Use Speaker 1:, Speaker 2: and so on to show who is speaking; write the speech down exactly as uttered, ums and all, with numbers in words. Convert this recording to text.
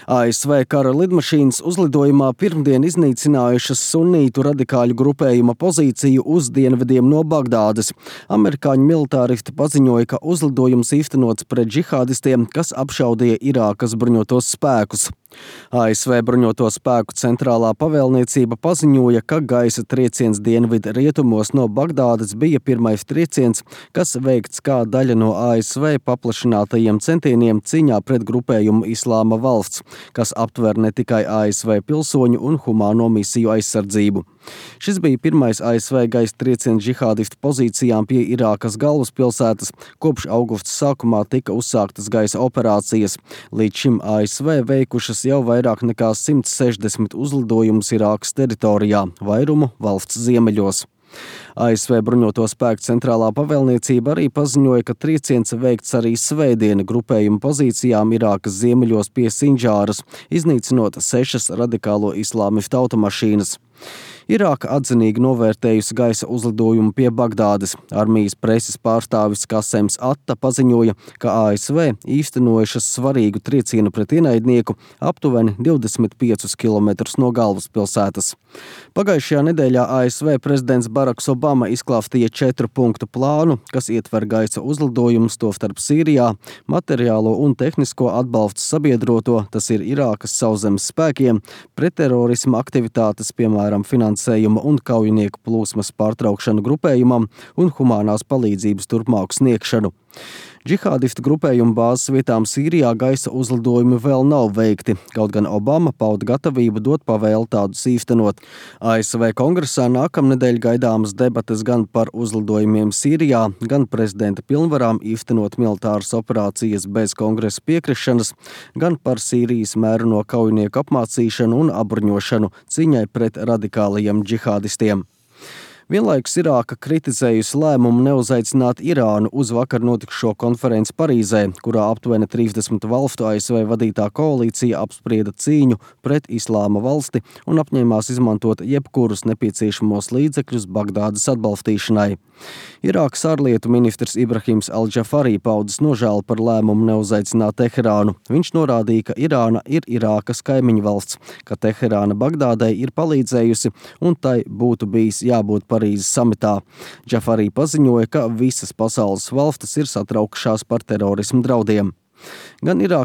Speaker 1: A S V kara lidmašīnas uzlidojumā pirmdien iznīcinājušas sunītu radikāļu grupējuma pozīciju uz dienvidiem no Bagdādes. Amerikāņu militāristi paziņoja, ka uzlidojums īstenots pret džihādistiem, kas apšaudīja Irākas bruņotos spēkus. A S V bruņoto spēku centrālā pavēlniecība paziņoja, ka gaisa trieciens dienvidu rietumos no Bagdādes bija pirmais trieciens, kas veikts kā daļa no A S V paplašinātajiem centieniem cīņā pret grupējumu Islāma valsts, kas aptver ne tikai A S V pilsoņu un humāno misiju aizsardzību. Šis bija pirmais A S V gaisa trieciens džihādistu pozīcijām pie Irākas galvaspilsētas, kopš augusta sākumā tika uzsāktas gaisa operācijas. Līdz šim A S V veikušas jau vairāk nekā simt sešdesmit uzlidojumus Irākas teritorijā, vairumu valsts ziemeļos. A S V bruņoto spēku centrālā pavēlniecība arī paziņoja, ka trieciens veikts arī svētdien grupējuma pozīcijām Irākas ziemeļos pie Sinģāras, iznīcinot sešas radikālo islāmistu automašīnas. Irāka atzinīgi novērtējusi gaisa uzlidojumu pie Bagdādes. Armijas preses pārstāvis Kasems Atta paziņoja, ka A S V īstenojušas svarīgu triecienu pret ienaidnieku aptuveni divdesmit piecus kilometrus no galvaspilsētas. Pagājušajā nedēļā A S V prezidents Baraks Obama izklāstīja četru punktu plānu, kas ietver gaisa uzlidojumus, tostarp Sīrijā, materiālo un tehnisko atbalstu sabiedroto, tas ir Irākas sauszemes spēkiem, pretterorisma aktivitātes, piemēram, finansējuma un kaujinieku plūsmas pārtraukšanu grupējumam un humānās palīdzības turpmāku sniegšanu. Džihādistu grupējumu bāzes vietām Sīrijā gaisa uzlidojumi vēl nav veikti, kaut gan Obama pauda gatavību dot pavēli tādus īstenot. A S V kongresā nākamnedēļ gaidāmas debates gan par uzlidojumiem Sīrijā, gan prezidenta pilnvarām īstenot militāras operācijas bez kongresa piekrišanas, gan par Sīrijas mēru no kaujinieku apmācīšanu un apbruņošanu cīņai pret radikālajiem džihādistiem. Vienlaikus Irāka kritizējusi lēmumu neuzaicināt Irānu uz vakar notikušo konferenci Parīzē, kurā aptuveni trīsdesmit valstu A S V vadītā koalīcija apsprieda cīņu pret Islāma valsti un apņēmās izmantot jebkurus nepieciešamos līdzekļus Bagdādes atbalstīšanai. Irākas ārlietu ministrs Ibrahims Al-Džafarī paudis nožēlu par lēmumu neuzaicināt Teherānu. Viņš norādīja, ka Irāna ir Irākas kaimiņu valsts, ka Teherāna Bagdādai ir palīdzējusi un tai būtu bijis jābūt Parīzes samitā. Džafarī paziņoja, ka visas pasaules valstis ir satraukšās par terorismu draudiem. Gan Irākas